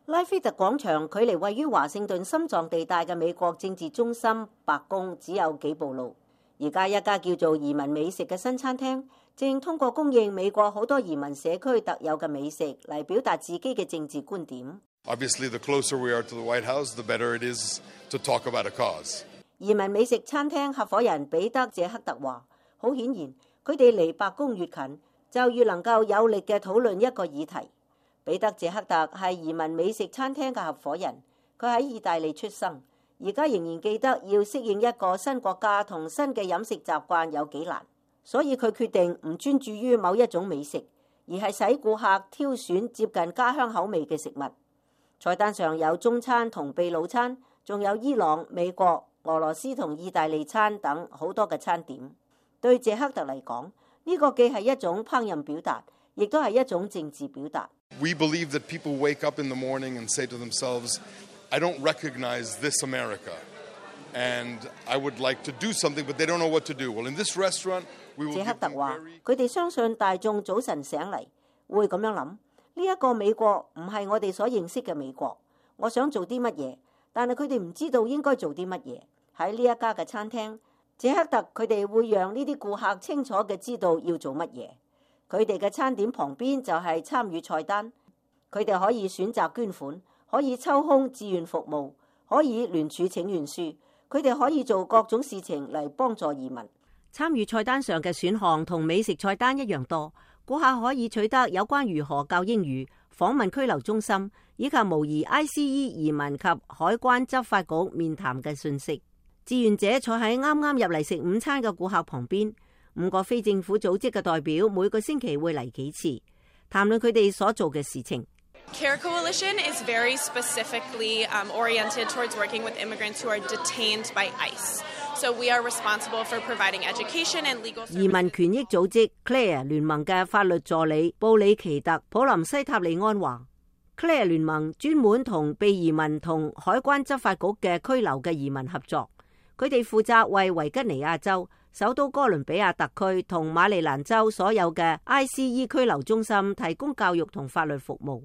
拉菲特廣場距離位於華盛頓心臟地帶嘅美國政治中心白宮只有幾步路。而家一家叫做移民美食嘅新餐廳，正通過供應美國好多移民社區特有嘅美食嚟表達自己嘅政治觀點。Obviously, the closer we are to the White House, the better it is to talk about a cause. 移民美食餐廳合夥人彼得謝克特話，好顯然，佢哋離白宮越近，就越能夠有力嘅討論一個議題。彼得謝克特係移民美食餐廳嘅合夥人，佢喺意大利出生，而家仍然記得要適應一個新國家同新嘅飲食習慣有幾難，所以佢決定唔專注於某一種美食，而係使顧客挑選接近家鄉口味嘅食物。菜單上有中餐同秘魯餐，仲有伊朗、美國、俄羅斯同意大利餐等好多嘅餐點。對謝克特嚟講，呢個既係一種烹飪表達，亦都係一種政治表達。We believe that people wake up in the morning and say to themselves, I don't recognize this America, and I would like to do something, but they don't know what to do. Well, in this restaurant, we will give them very... 謝克特話，佢哋相信大眾早晨醒嚟會咁樣諗，呢一個美國唔係我哋所認識嘅美國。我想做啲乜嘢，但係佢哋唔知道應該做啲乜嘢。喺呢一家嘅餐廳，謝克特佢哋會讓呢啲顧客清楚嘅知道要做乜嘢。佢哋嘅餐點旁邊就係參與菜單，佢哋可以選擇捐款，可以抽空志願服務，可以聯署請願書，佢哋可以做各種事情嚟幫助移民。參與菜單上嘅選項同美食菜單一樣多，顧客可以取得有關如何教英語、訪問拘留中心以及模擬 ICE 移民及海關執法局面談嘅信息。志願者坐喺啱啱入嚟食午餐嘅顧客旁邊。5個非政府組織嘅代表每個星期會嚟幾次，談論佢哋所做嘅事情。CARE Coalition is very specifically oriented towards working with immigrants who are detained by ICE. So we are responsible for providing education and legal services. 移民權益組織 CLARE 聯盟嘅法律助理布里奇特普林西塔利安話 ，CLARE 聯盟專門同被移民同海關執法局嘅拘留嘅移民合作，佢哋負責為維吉尼亞州、首都哥倫比亞特區同馬里蘭州所有嘅 ICE 拘留中心提供教育同法律服務。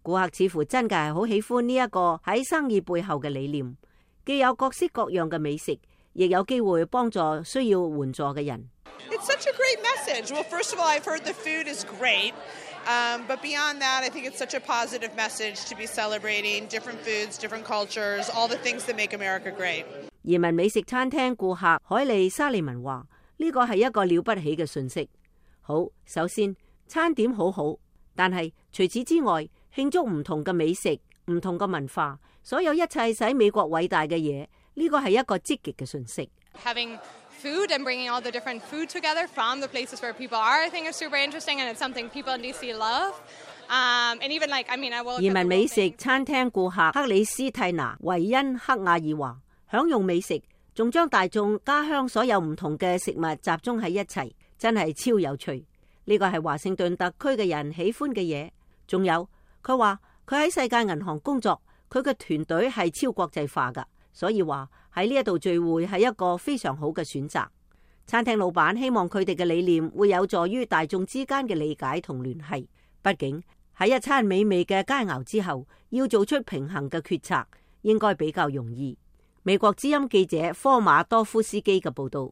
顧客似乎真嘅係好喜歡呢一個喺生意背後嘅理念，既有各式各樣嘅美食，亦有機會幫助需要援助嘅人。It's such a great message. Well, first of all, I've heard the food is great, but beyond that, I think it's such a positive message to be celebrating different foods, different cultures, all the things that make America great. 移民美食餐廳顧客海利沙利文話：呢個係一個了不起嘅訊息。好，首先餐點好好，但係除此之外，慶祝唔同嘅美食、唔同嘅文化，所有一切使美國偉大嘅嘢，呢個係一個積極嘅訊息。Having food and bringing all the different food together from the places where people are, I think is super interesting, and it's something people in DC love. And even like, I mean, I will. 移民美食餐廳顧客克里斯蒂娜維恩克亞爾話：享用美食，仲將大眾家鄉所有唔同嘅食物集中喺一齊，真係超有趣。呢個係華盛頓特區嘅人喜歡嘅嘢。仲有，佢話佢喺世界銀行工作，佢嘅團隊係超國際化㗎，所以話喺呢一度聚會係一個非常好嘅選擇。餐廳老闆希望佢哋嘅理念會有助於大眾之間嘅理解同聯繫。畢竟喺一餐美味嘅佳肴之後，要做出平衡嘅決策，應該比較容易。美國之音記者科馬多夫斯基嘅報道。